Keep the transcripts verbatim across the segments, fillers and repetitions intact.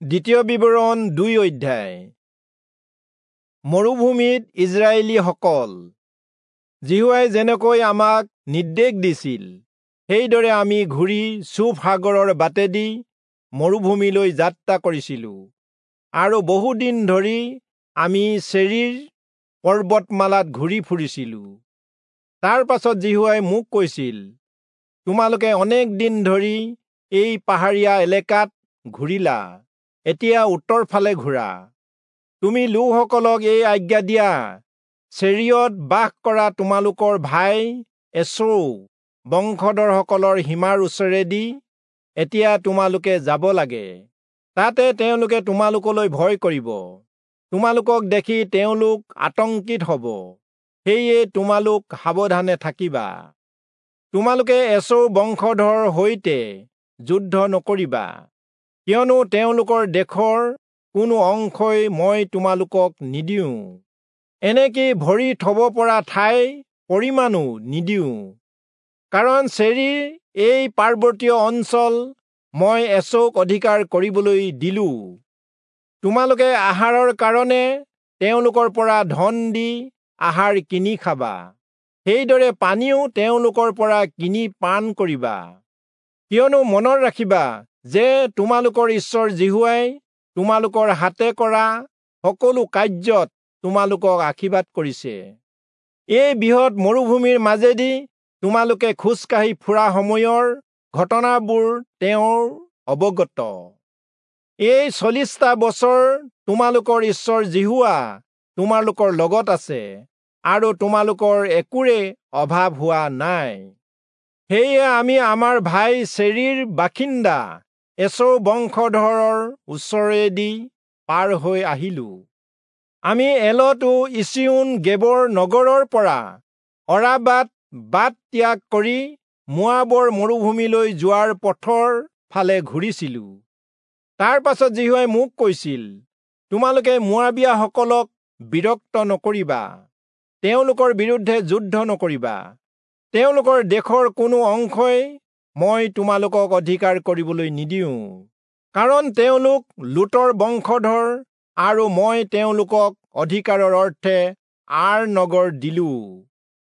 দ্বিতীয় বিৱৰণ দুই অধ্যায়। মৰুভূমিত ইজৰাইলীসকল। যিহোৱাই যেনেকৈ আমাক নিৰ্দেশ দিছিল, সেইদৰে আমি ঘূৰি চূফ সাগৰৰ বাটেদি মৰুভূমিলৈ যাত্ৰা কৰিছিলো, আৰু বহুদিন ধৰি আমি চেৰীৰ পৰ্বতমালাত ঘূৰি ফুৰিছিলো। তাৰ পাছত যিহোৱাই মোক কৈছিল, তোমালোকে অনেক দিন ধৰি এই পাহাৰীয়া এলেকাত ঘূৰিলা, এতিয়া উত্তৰ ফালে ঘূৰা। তুমি লোকসকলক এই আজ্ঞা দিয়া, চেৰীয়ত বাস কৰা তোমালোকৰ ভাই এচৌ বংশধৰসকলৰ সীমাৰ ওচৰেদি এতিয়া তোমালোকে যাব লাগে। তাতে তেওঁলোকে তোমালোকলৈ ভয় কৰিব, তোমালোকক দেখি তেওঁলোক আতংকিত হ'ব, সেয়ে তোমালোক সাৱধানে থাকিবা। তোমালোকে এচৌ বংশধৰৰ সৈতে যুদ্ধ নকৰিবা, কিয়নো তেওঁলোকৰ দেশৰ কোনো অংশই মই তোমালোকক নিদিওঁ, এনেকি ভৰি থব পৰা ঠাই পৰিমাণো নিদিওঁ। কাৰণ চেৰীৰ এই পাৰ্বতীয় অঞ্চল মই এচৌক অধিকাৰ কৰিবলৈ দিলো। তোমালোকে আহাৰৰ কাৰণে তেওঁলোকৰ পৰা ধন দি আহাৰ কিনি খাবা, সেইদৰে পানীও তেওঁলোকৰ পৰা কিনি পান কৰিবা। কিয়নো মনত ৰাখিবা যে তোমালোকৰ ঈশ্বৰ যিহোৱাই তোমালোকৰ হাতে কৰা সকলো কাৰ্যত তোমালোকক আশীৰ্বাদ কৰিছে। এই বৃহৎ মৰুভূমিৰ মাজেদি তোমালোকে খোজকাঢ়ি ফুৰা সময়ৰ ঘটনাবোৰ তেওঁৰ অৱগত। এই চল্লিছটা বছৰ তোমালোকৰ ঈশ্বৰ যিহোৱা তোমালোকৰ লগত আছে, আৰু তোমালোকৰ একোৰে অভাৱ হোৱা নাই। সেয়ে আমি আমাৰ ভাই চেৰীৰ বাসিন্দা এচৌ বংশধৰৰ ওচৰেদি পাৰ হৈ আহিলো। আমি এলত ও ইচিয়োন গেবৰ নগৰৰ পৰা অৰাবাত বাট ত্যাগ কৰি মোৱাবৰ মৰুভূমিলৈ যোৱাৰ পথৰ ফালে ঘূৰিছিলো। তাৰ পাছত যিহোৱাই মোক কৈছিল, তোমালোকে মোৱাবীয়াসকলক বিৰক্ত নকৰিবা, তেওঁলোকৰ বিৰুদ্ধে যুদ্ধ নকৰিবা। তেওঁলোকৰ দেশৰ কোনো অংশই মই তোমালোকক অধিকাৰ কৰিবলৈ নিদিওঁ, কাৰণ তেওঁলোক লোটৰ বংশধৰ, আৰু মই তেওঁলোকক অধিকাৰৰ অৰ্থে আৰ নগৰ দিলো।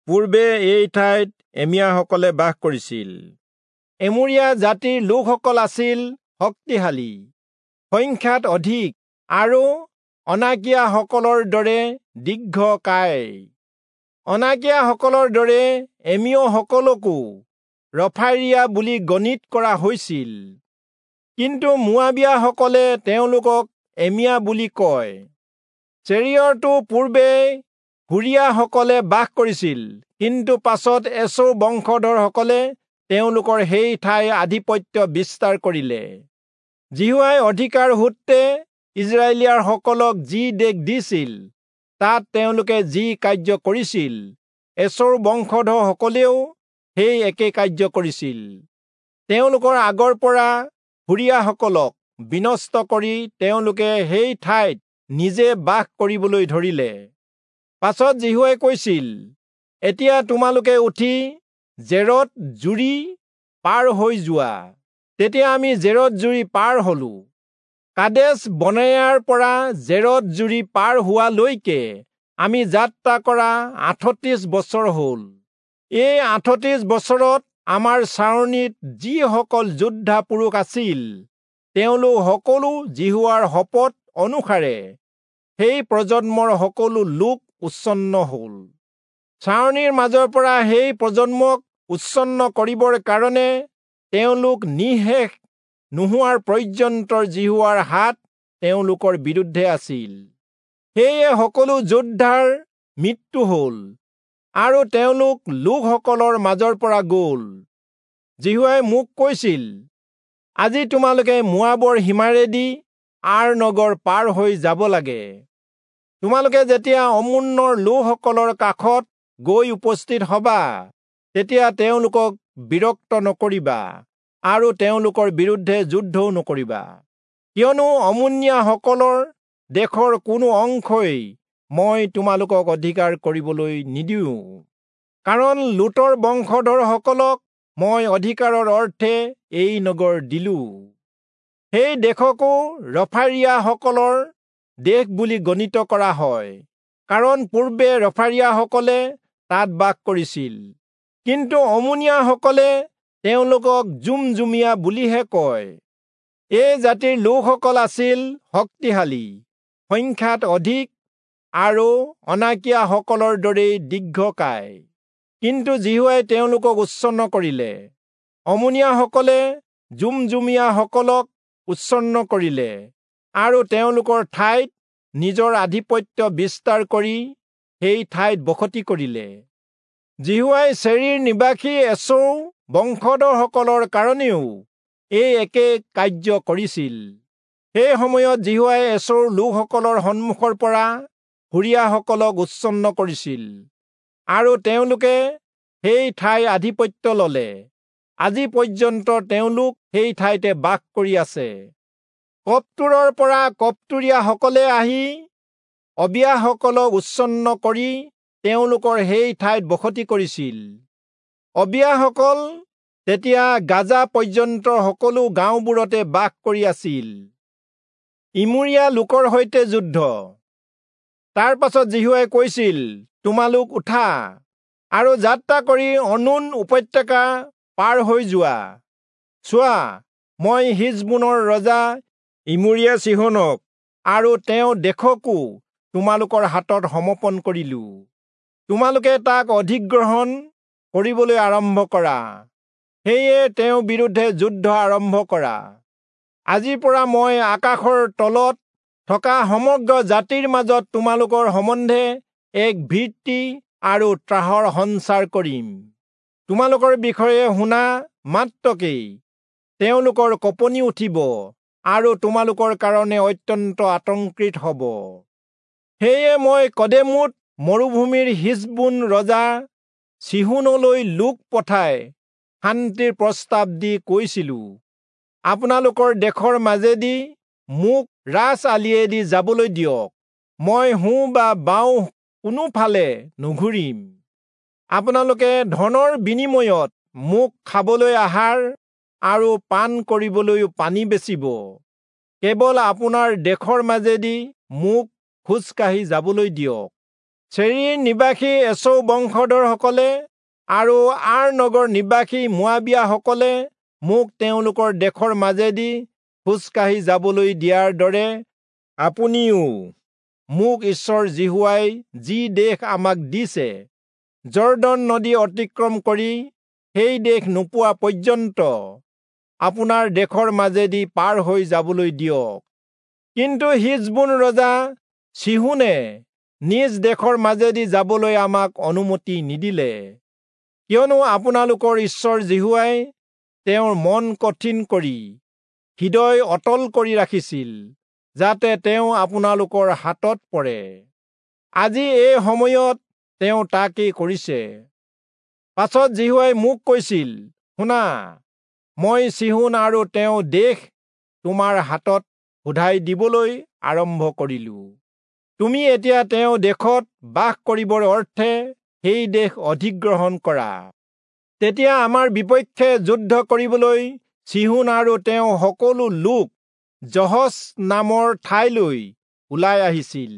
পূৰ্বে এই ঠাইত এমীয়াসকলে বাস কৰিছিল। এমোৰীয়া জাতিৰ লোকসকল আছিল শক্তিশালী, সংখ্যাত অধিক, আৰু অনাকীয়াসকলৰ দৰে দীৰ্ঘকায়। অনাকীয়াসকলৰ দৰে এমীয়সকলকো ৰফাইৰীয়া বুলি গণিত কৰা হৈছিল, কিন্তু মোৱাবীয়াসকলে তেওঁলোকক এমীয়া বুলি কয়। চেৰীয়ৰতো পূৰ্বে হুৰীয়াসকলে বাস কৰিছিল, কিন্তু পাছত এচৌ বংশধৰসকলে তেওঁলোকৰ সেই ঠাই আধিপত্য বিস্তাৰ কৰিলে। যিহোৱাই অধিকাৰ সূত্ৰে ইজৰাইলীয়াসকলক যি দেশ দিছিল, তাত তেওঁলোকে যি কাৰ্য কৰিছিল, এচৌৰ বংশধৰসকলেও সেই একে কাৰ্য কৰিছিল। তেওঁলোকৰ আগৰ পৰা হুৰীয়াসকলক বিনষ্ট কৰি তেওঁলোকে সেই ঠাইত নিজে বাস কৰিবলৈ ধৰিলে। পাছত যিহোৱাই কৈছিল, এতিয়া তোমালোকে উঠি জেৰদ জুৰি পাৰ হৈ যোৱা। তেতিয়া আমি জেৰদ জুৰি পাৰ হলো। কাদেশ বনেয়াৰ পৰা জেৰদ জুৰি পাৰ হোৱালৈকে আমি যাত্ৰা কৰা আঠত্ৰিশ বছৰ হ'ল। এই আঠত্ৰিশ বছৰত আমাৰ ছাউনিত যিসকল যোদ্ধা পুৰুষ আছিল, তেওঁলোক সকলো যিহোৱাৰ শপত অনুসাৰে সেই প্ৰজন্মৰ সকলো লোক উচ্ছন্ন হ'ল। ছাউনিৰ মাজৰ পৰা সেই প্ৰজন্মক উচ্ছন্ন কৰিবৰ কাৰণে তেওঁলোক নিঃশেষ নোহোৱাৰ পৰ্যন্ত যিহোৱাৰ হাত তেওঁলোকৰ বিৰুদ্ধে আছিল। সেয়ে সকলো যোদ্ধাৰ মৃত্যু হ'ল, আৰু তেওঁলোক লোকসকলৰ মাজৰ পৰা গ'ল। যিহোৱাই মোক কৈছিল, আজি তোমালোকে মোৱাবৰ সীমাৰেদি আৰ নগৰ পাৰ হৈ যাব লাগে। তোমালোকে যেতিয়া অম্মোনৰ লোকসকলৰ কাষত গৈ উপস্থিত হবা, তেতিয়া তেওঁলোকক বিৰক্ত নকৰিবা আৰু তেওঁলোকৰ বিৰুদ্ধে যুদ্ধও নকৰিবা, কিয়নো অম্মোনীয়াসকলৰ দেশৰ কোনো অংশই মই তোমালোকক অধিকাৰ কৰিবলৈ নিদিওঁ। কাৰণ লোটৰ বংশধৰসকলক মই অধিকাৰৰ অৰ্থে এই নগৰ দিলো। সেই দেশকো ৰফাৰীয়াসকলৰ দেশ বুলি গণিত কৰা হয়, কাৰণ পূৰ্বে ৰফাৰীয়াসকলে তাত বাস কৰিছিল। কিন্তু অমোনীয়াসকলে তেওঁলোকক জুমজুমীয়া বুলিহে কয়। এই জাতিৰ লোকসকল আছিল শক্তিশালী, সংখ্যাত অধিক আৰু অনাকীয়াসকলৰ দৰেই দীৰ্ঘকায়। কিন্তু যিহোৱাই তেওঁলোকক উচ্ছন্ন কৰিলে। অমোনীয়াসকলে জুমজুমীয়াসকলক উচ্ছন্ন কৰিলে আৰু তেওঁলোকৰ ঠাইত নিজৰ আধিপত্য বিস্তাৰ কৰি সেই ঠাইত বসতি কৰিলে। যিহোৱাই চেৰীৰ নিবাসী এচৌ বংশধৰসকলৰ কাৰণেও এই একে কাৰ্য কৰিছিল। সেই সময়ত যিহোৱাই এচৌৰ লোকসকলৰ সন্মুখৰ পৰা হুৰীয়াসকলক উচ্ছন্ন কৰিছিল আৰু তেওঁলোকে সেই ঠাইৰ আধিপত্য ললে। আজি পৰ্যন্ত তেওঁলোক সেই ঠাইতে বাস কৰি আছে। কপ্তোৰৰ পৰা কপ্তোৰীয়াসকলে আহি অবিয়াসকলক উচ্ছন্ন কৰি তেওঁলোকৰ সেই ঠাইত বসতি কৰিছিল। অবিয়াসকল তেতিয়া গাজা পৰ্যন্ত সকলো গাঁওবোৰতে বাস কৰি আছিল। ইমূৰীয়া লোকৰ সৈতে যুদ্ধ। তাৰ পাছত যিহোৱাই কৈছিল, তোমালোক উঠা আৰু যাত্ৰা কৰি অৰ্ণোন উপত্যকা পাৰ হৈ যোৱা। চোৱা, মই হিচবোনৰ ৰজা ইমূৰীয়া চীহোনক আৰু তেওঁৰ দেশকো তোমালোকৰ হাতত সমৰ্পণ কৰিলো। তোমালোকে তাক অধিগ্ৰহণ কৰিবলৈ আৰম্ভ কৰা, সেয়ে তেওঁৰ বিৰুদ্ধে যুদ্ধ আৰম্ভ কৰা। আজিৰ পৰা মই আকাশৰ তলত থকা সমগ্ৰ জাতিৰ মাজত তোমালোকৰ সম্বন্ধে এক ভীতি আৰু ত্ৰাসৰ সঞ্চাৰ কৰিম। তোমালোকৰ বিষয়ে শুনা মাত্ৰকেই তেওঁলোকৰ কঁপনি উঠিব আৰু তোমালোকৰ কাৰণে অত্যন্ত আতংকিত হ'ব। সেয়ে মই কদেমোত মৰুভূমিৰ হিচবোন ৰজা চীহোনলৈ লোক পঠাই শান্তিৰ প্ৰস্তাৱ দি কৈছিলো, আপোনালোকৰ দেশৰ মাজেদি মোক ৰাজ আলিয়েদি যাবলৈ দিয়ক, মই সোঁ বা বাওঁ কোনোফালে নুঘূৰিম। আপোনালোকে ধনৰ বিনিময়ত মোক খাবলৈ আহাৰ আৰু পান কৰিবলৈও পানী বেচিব। কেৱল আপোনাৰ দেশৰ মাজেদি মোক খোজকাঢ়ি যাবলৈ দিয়ক। চেৰীৰ নিবাসী এচৌ বংশধৰসকলে আৰু আৰ নগৰ নিবাসী মোৱাবীয়াসকলে মোক তেওঁলোকৰ দেশৰ মাজেদি খোজকাঢ়ি যাবলৈ দিয়াৰ দৰে আপুনিও মোক ঈশ্বৰ যিহোৱাই যি দেশ আমাক দিছে, যৰ্দন নদী অতিক্ৰম কৰি সেই দেশ নোপোৱা পৰ্যন্ত আপোনাৰ দেশৰ মাজেদি পাৰ হৈ যাবলৈ দিয়ক। কিন্তু হিচবোন ৰজা চীহোনে নিজ দেশৰ মাজেদি যাবলৈ আমাক অনুমতি নিদিলে, কিয়নো আপোনালোকৰ ঈশ্বৰ যিহোৱাই তেওঁৰ মন কঠিন কৰি হৃদয় অটল কৰি ৰাখিছিল, যাতে তেওঁ আপোনালোকৰ হাতত পৰে। আজি এই সময়ত তেওঁ তাকেই কৰিছে। পাছত যিহোৱাই মোক কৈছিল, শুনা, মই চীহোন আৰু তেওঁ দেশ তোমাৰ হাতত শোধাই দিবলৈ আৰম্ভ কৰিলো। তুমি এতিয়া তেওঁ দেশত বাস কৰিবৰ অৰ্থে সেই দেশ অধিগ্ৰহণ কৰা। তেতিয়া আমাৰ বিপক্ষে যুদ্ধ কৰিবলৈ চীহোন আৰু তেওঁ সকলো লোক যহচ নামৰ ঠাইলৈ ওলাই আহিছিল।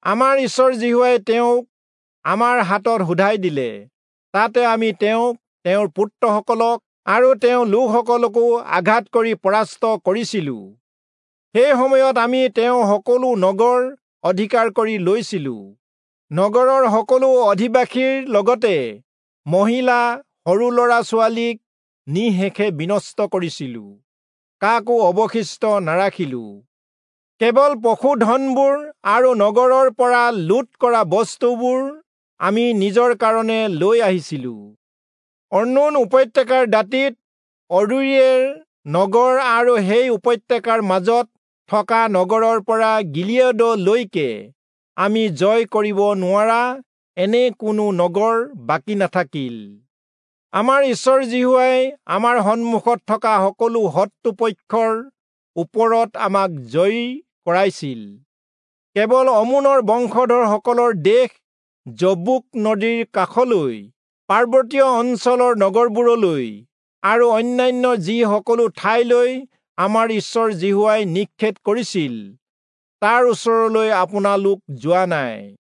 আমাৰ ঈশ্বৰ যিহোৱাই তেওঁক আমাৰ হাতত শোধাই দিলে। তাতে আমি তেওঁক, তেওঁৰ পুত্ৰসকলক আৰু তেওঁৰ লোকসকলকো আঘাত কৰি পৰাস্ত কৰিছিলো। সেই সময়ত আমি তেওঁৰ সকলো নগৰ অধিকাৰ কৰি লৈছিলো। নগৰৰ সকলো অধিবাসীৰ লগতে মহিলা, সৰু ল'ৰা ছোৱালীক নিঃশেষে বিনষ্ট কৰিছিলো, কাকো অৱশিষ্ট নাৰাখিলো। কেৱল পশুধনবোৰ আৰু নগৰৰ পৰা লুট কৰা বস্তুবোৰ আমি নিজৰ কাৰণে লৈ আহিছিলো। অৰ্ণোন উপত্যকাৰ দাঁতিত অৰোয়েৰ নগৰ আৰু সেই উপত্যকাৰ মাজত থকা নগৰৰ পৰা গিলিয়দলৈকে আমি জয় কৰিব নোৱাৰা এনে কোনো নগৰ বাকী নাথাকিল। আমাৰ ঈশ্বৰ যিহোৱাই আমাৰ সন্মুখত থকা সকলো শত্ৰুপক্ষৰ ওপৰত আমাক জয়ী কৰাইছিল। কেৱল অমোনৰ বংশধৰসকলৰ দেশ যব্বোক নদীৰ কাষলৈ, পাৰ্বতীয় অঞ্চলৰ নগৰবোৰলৈ আৰু অন্যান্য যি সকলো ঠাইলৈ আমাৰ ঈশ্বৰ যিহোৱাই নিষেধ কৰিছিল, তাৰ ওচৰলৈ আপোনালোক যোৱা নাই।